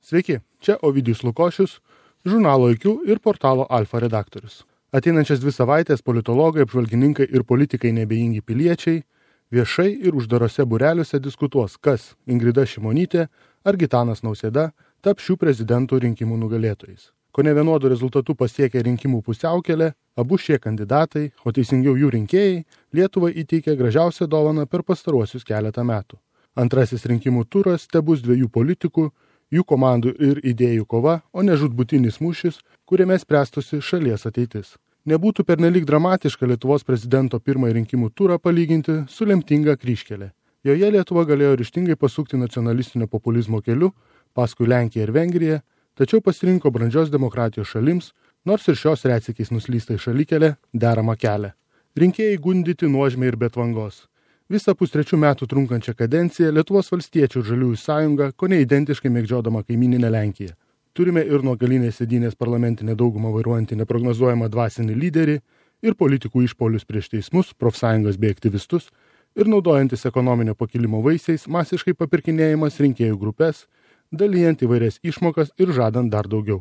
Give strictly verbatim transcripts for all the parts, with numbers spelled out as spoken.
Sveiki, čia Ovidijus Lukošius, žurnalo I Q ir portalo Alfa redaktorius. Ateinančias dvi savaitės politologai, apžvalgininkai ir politikai nebejingi piliečiai viešai ir uždarose būreliuose diskutuos, kas Ingrida Šimonytė ar Gitanas Nausėda taps šių prezidentų rinkimų nugalėtojais. Kone vienodų rezultatų pasiekę rinkimų pusiaukelę, abu šie kandidatai, o teisingiau jų rinkėjai, Lietuvai įteikė gražiausią dovaną per pastaruosius keletą metų. Antrasis rinkimų turas tebus dviejų politikų, jų komandų ir idėjų kova, o ne žūtbūtinis mūšis, kuriame spręstusi šalies ateitis. Nebūtų pernelyg dramatiška Lietuvos prezidento pirmąjį rinkimų turą palyginti su lemtinga kryžkelė. Joje Lietuva galėjo ryžtingai pasukti nacionalistinio populizmo keliu, paskui Lenkiją ir Vengriją, tačiau pasirinko brandžios demokratijos šalims, nors ir šios retsykiais nuslystai šalikelė deramą kelią. Rinkėjai gundyti nuožmiai ir be tvangos. Visą pustrečių metų trunkančią kadenciją Lietuvos valstiečių ir žaliųjų sąjunga kone identiškai mėgdžiodama kaimyninę Lenkiją. Turime ir nuo galinės sėdynės parlamentinę daugumą vairuojantį neprognozuojamą dvasinį lyderį ir politikų išpolius prieš teismus, profsąjungas bei aktyvistus ir naudojantis ekonominio pakilimo vaisiais masiškai papirkinėjimas rinkėjų grupės, dalijant įvairias išmokas ir žadant dar daugiau.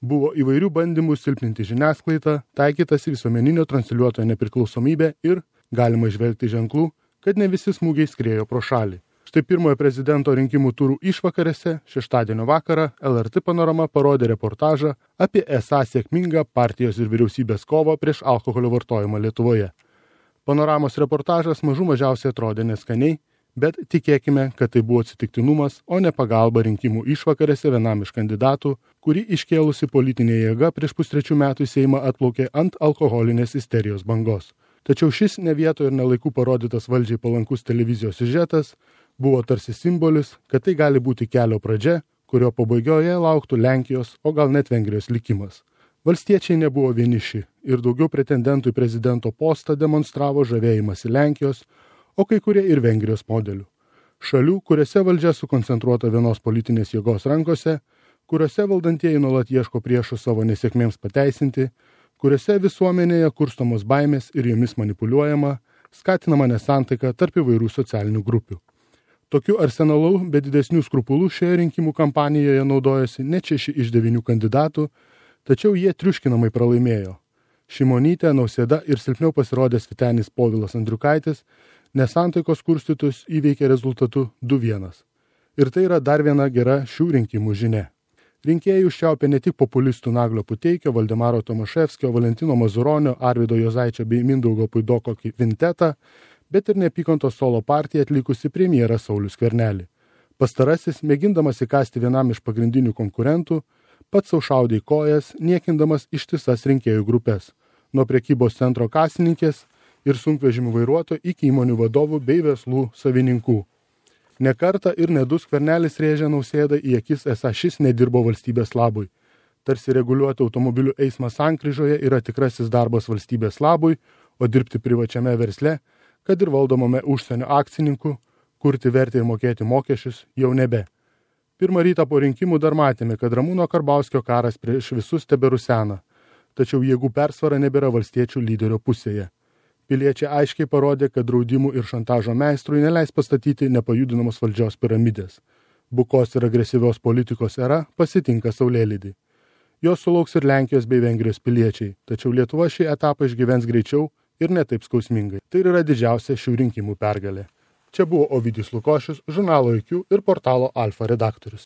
Buvo įvairių bandymų silpninti žiniasklaidą, taikytas visuomeninio transliuotojo nepriklausomybė ir galima įžvelgti ženklų, kad ne visi smūgiai skriejo pro šalį. Štai pirmojo prezidento rinkimų turų išvakarėse, šeštadienio vakarą, L R T Panorama parodė reportažą apie esą sėkmingą partijos ir vyriausybės kovą prieš alkoholio vartojimą Lietuvoje. Panoramos reportažas mažų mažiausiai atrodė neskaniai, bet tikėkime, kad tai buvo atsitiktinumas, o ne pagalba rinkimų išvakarėse vienam iš kandidatų, kurį iškėlusi politinė jėga prieš pustrečių metų į Seimą atplaukė ant alkoholinės isterijos bangos. Tačiau šis ne vietoje ir nelaikų parodytas valdžiai palankus televizijos siužetas buvo tarsi simbolis, kad tai gali būti kelio pradžia, kurio pabaigoje lauktų Lenkijos, o gal net Vengrijos likimas. Valstiečiai nebuvo vieniši ir daugiau pretendentų į prezidento postą demonstravo žavėjimąsi Lenkijos, o kai kurie ir Vengrijos modelių. Šalių, kuriuose valdžia sukoncentruota vienos politinės jėgos rankose, kuriuose valdantieji nuolat ieško priešų savo nesėkmėms pateisinti, kuriuose visuomenėje kurstomos baimės ir jomis manipuliuojama, skatinama nesantaika tarp įvairių socialinių grupių. Tokiu arsenalu be didesnių skrupulų šioje rinkimų kampanijoje naudojosi net šeši iš devynių kandidatų, tačiau jie triuškinamai pralaimėjo. Šimonytė, Nausėda ir silpniau pasirodęs Vytenis Povilas Andriukaitis nesantaikos kurstytus įveikė rezultatu du vienas. Ir tai yra dar viena gera šių rinkimų žinia. Rinkėjai užčiaupė ne tik populistų Naglio Puteikio, Valdemaro Tomaševskio, Valentino Mazuronio, Arvydo Juozaičio bei Mindaugo Puidoko kvintetą, bet ir neapykantos solo partiją atlikusi premjerą Saulių Skvernelį. Pastarasis, mėgindamas įkasti vienam iš pagrindinių konkurentų, pats sau šaudė į kojas, niekindamas ištisas rinkėjų grupės, nuo prekybos centro kasininkės ir sunkvežimių vairuotojų iki įmonių vadovų bei verslų savininkų. Ne kartą ir ne du Skvernelis rėžė Nausėdą į akis, esą šis nedirbo valstybės labui. Tarsi reguliuoti automobilių eismą sankryžoje yra tikrasis darbas valstybės labui, o dirbti privačiame versle, kad ir valdomame užsienio akcininkų, kurti vertę ir mokėti mokesčius jau nebe. Pirmą rytą po rinkimų dar matėme, kad Ramūno Karbauskio karas prieš visus teberusena, tačiau jėgų persvara nebėra valstiečių lyderio pusėje. Piliečiai aiškiai parodė, kad draudimų ir šantažo meistrui neleis pastatyti nepajudinamos valdžios piramidės. Bukos ir agresyvios politikos era pasitinka saulėlydį. Jos sulauks ir Lenkijos bei Vengrijos piliečiai, tačiau Lietuva šį etapą išgyvens greičiau ir ne taip skausmingai. Tai yra didžiausia šių rinkimų pergalė. Čia buvo Ovidijus Lukošius, žurnalo I Q ir portalo Alfa redaktorius.